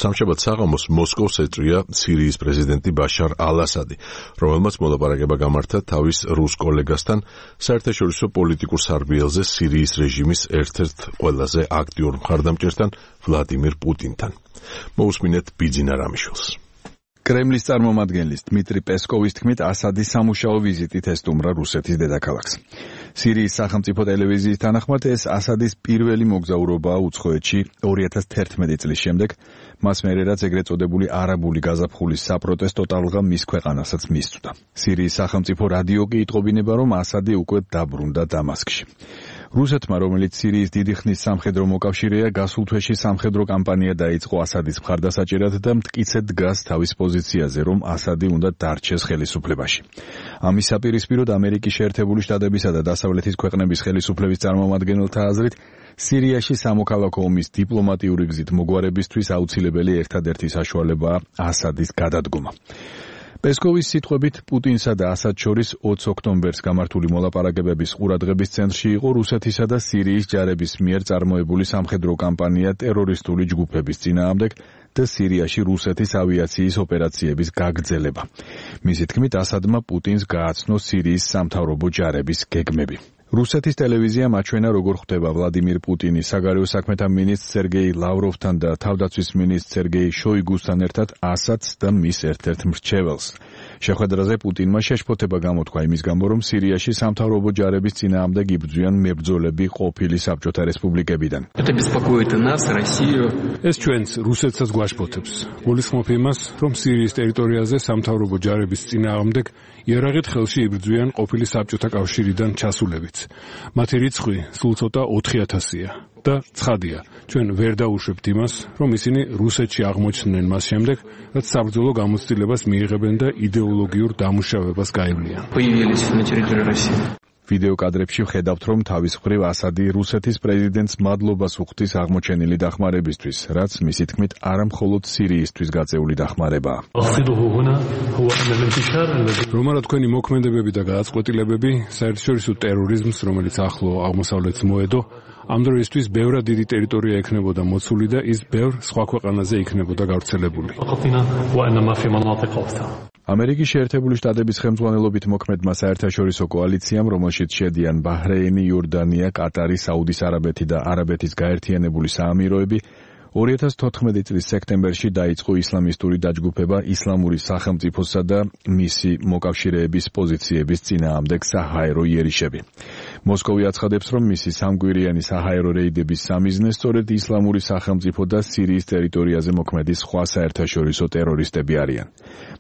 სამშაბათ საღამოს მოსკოვს ეწვია სირიის პრეზიდენტი ბაშარ ალ-ასადი, რომელმაც მოლაპარაკება გამართა თავის რუს კოლეგასთან საერთაშორისო პოლიტიკურ სარბიელზე სირიის რეჟიმის ერთ-ერთ ყველაზე აქტიურ მხარდამჭერთან ვლადიმირ პუტინთან. მოусმინეთ ბიძინა რამიშვილს. კრემლის წარმომადგენლის დმიტრი პესკოვის თქმით, ასადის სამუშაო ვიზიტით ესტუმრა რუსეთის დედაქალაქს. სირიის სახელმწიფო ტელევიზიის თანახმად ეს ასადის პირველი მოგზაურობაა უცხოეთში 2011 წლის შემდეგ, მას მერე რაც ეგრეთ წოდებული არაბული გაზაფხულის საპროტესტო ტალღა მის ქვეყანასაც მისწვდა. სირიის სახელმწიფო რადიო კი იტყობინება, რომ ასადი უკვე დაბრუნდა დამასკში. რუსეთმა, რომელიც სირიის დიდი ხნის სამხედრო მოკავშირეა, გასულ თვეში სამხედრო კამპანია დაიწყო ასადის მხარდასაჭერად და მტკიცედ დგას თავის პოზიციაზე, რომ ასადი უნდა დარჩეს ხელისუფლებაში. ამის საპირისპიროდ ამერიკის შეერთებული შტატებისა და დასავლეთის ქვეყნების ხელისუფლების წარმომადგენელთა აზრით, სირიაში სამოქალაქო ომის დიპლომატიური გზით მოგვარებისთვის აუცილებელი ერთადერთი საშუალებაა ასადის გადადგომა. პესკოვის სიტყვებით, პუტინსა და ასადს შორის 20 ოქტომბერს გამართული მოლაპარაკებების ყურადღების ცენტრში იყო რუსეთისა და სირიის ჯარების მიერ წარმოებული სამხედრო კამპანია ტერორისტული ჯგუფების წინააღმდეგ და სირიაში რუსეთის ავიაციის ოპერაციების გაგრძელება. მისი თქმით, ასადმა პუტინს გააცნო სირიის სამთავრობო ჯარების გეგმები. რუსეთის ტელევიზიამ აჩვენა, როგორ ხვდება ვლადიმირ პუტინი საგარეო საქმეთა მინისტრ სერგეი ლავროვთან და თავდაცვის მინისტრ სერგეი შოიგუსთან ერთად ასადს და მის ერთ-ერთ მრჩეველს. შეხვედრაზე პუტინმა შეშფოთება გამოთქვა იმის გამო, რომ სირიაში სამთავრობო ჯარების წინააღმდეგ იბრძვიან მებრძოლები ყოფილი საბჭოთა რესპუბლიკებიდან. ეს ჩვენს რუსეთსაც გვაშფოთებს. გულისხმობ იმას, რომ სირიის ტერიტორიაზე სამთავრობო ჯარების წინააღმდეგ იარაღით ხელში იბრძვიან ყოფილი საბჭოთა კავშირიდან ჩასულებიც. მათი რიცხვი სულ ცოტა 4000-ია და ცხადია, ჩვენ ვერ დაუშვებთ იმას, რომ ისინი რუსეთში აღმოჩნდნენ მას შემდეგ, რაც საბრძოლო გამოცდილებას მიიღებენ და იდეოლოგიურ დამუშავებას გაევლიან. ვიდეო კადრებში ვხედავთ, რომ თავის მხრივ ასადი რუსეთის პრეზიდენტს მადლობას უხდის აღმოჩენილი დახმარებისთვის, რაც მისი თქმით არა მხოლოდ სირიისთვის გაწეული დახმარებაა. რომ არა თქვენი მოქმედებები და გადაწყვეტილებები საერთაშორისო ტერორიზმს, რომელიც ახლო აღმოსავლეთს მოედო, ამ დროისთვის ბევრად დიდი ტერიტორია ექნებოდა მოცული და ის ბევრ სხვა ქვეყანაზე იქნებოდა გავრცელებული. ამერიკის შეერთებული შტატების ხელმძღვანელობით მოქმედმა საერთაშორისო კოალიციამ, რომელშიც შედიან ბაჰრეინი, იორდანია, კატარი, საუდის არაბეთი და არაბეთის გაერთიანებული საამიროები, 2014 წლის სექტემბერში დაიწყო ისლამისტური დაჯგუფება ისლამური სახელმწიფოსა და მისი მოკავშირეების პოზიციების წინააღმდეგ საჰაერო იერიშები. მოსკოვი აცხადებს, რომ მისი სამგვირიანი საჰაერო რეიდების სამიზნე სწორედ ისლამური სახელმწიფო და სირიის ტერიტორიაზე მოქმედი სხვა საერთაშორისო ტერორისტები არიან.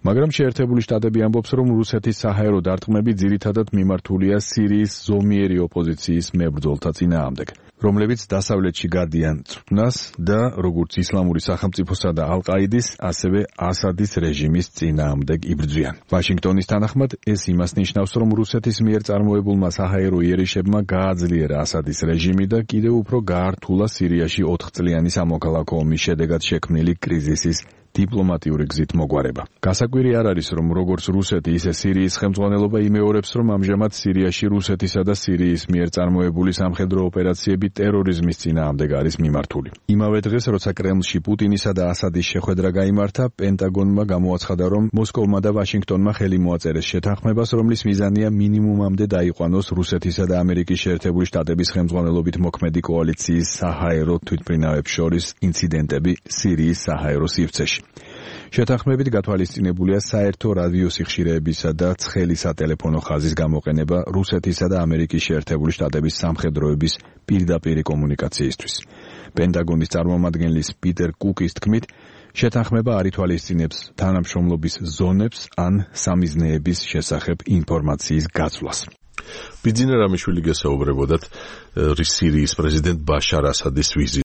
მაგრამ შეერთებული შტატები ამბობს, რომ რუსეთის საჰაერო დარტყმები ძირითადად მიმართულია სირიის ზომიერი ოპოზიციის მებრძოლთა წინააღმდეგ, რომლებიც დასავლეთში გადიან წვნას და როგორც ისლამური სახელმწიფოსა და ალ-ყაიდის, ასევე ასადის რეჟიმის წინააღმდეგ იბრძვიან. ვაშინგტონის თანახმად, ეს იმას ნიშნავს, რომ რუსეთის მიერ წარმოებულმა საჰაერო იერიშებმა გააძლიერა ასადის რეჟიმი და კიდევ უფრო გაართულა სირიაში 4 წლიანი სამოქალაქო ომის შედეგად შექმნილი კრიზისის დიპლომატიური გზით მოგვარება. გასაკვირი არ არის, რომ როგორც რუსეთი, ისე სირიის ხელმძღვანელობა იმეორებს, რომ ამჟამად სირიაში რუსეთისა და სირიის მიერ წარმოებული სამხედრო ოპერაციები ტერორიზმის წინააღმდეგ არის მიმართული. იმავე დღეს, როცა კრემლში პუტინისა და ასადის შეხვედრა გაიმართა, პენტაგონმა გამოაცხადა, რომ მოსკოვმა და ვაშინგტონმა ხელი მოაწერეს შეთანხმებას, რომლის მიზანია მინიმუმამდე დაიყვანოს რუსეთისა და ამერიკის შეერთებული შტატების ხელმძღვანელობით მოქმედი კოალიციის საჰაერო თვითმფრინავებს შორის ინციდენტები სირიის საჰაერო სივრცეში. შეთანხმებით გათვალისწინებულია საერთო რადიო სიხშირეებისა და ცხელი სატელეფონო ხაზის გამოყენება რუსეთისა და ამერიკის შეერთებული შტატების სამხედროების პირდაპირი კომუნიკაციისთვის. პენტაგონის წარმომადგენლის პიტერ კუკის თქმით, შეთანხმება არ ითვალისწინებს თანამშრომლობის ზონებს ან სამიზნეების შესახებ ინფორმაციის გაცვლას. ბიძინა რამიშვილი გესაუბრებოდათ სირიის პრეზიდენტ ბაშარ ასადის ვიზიტს.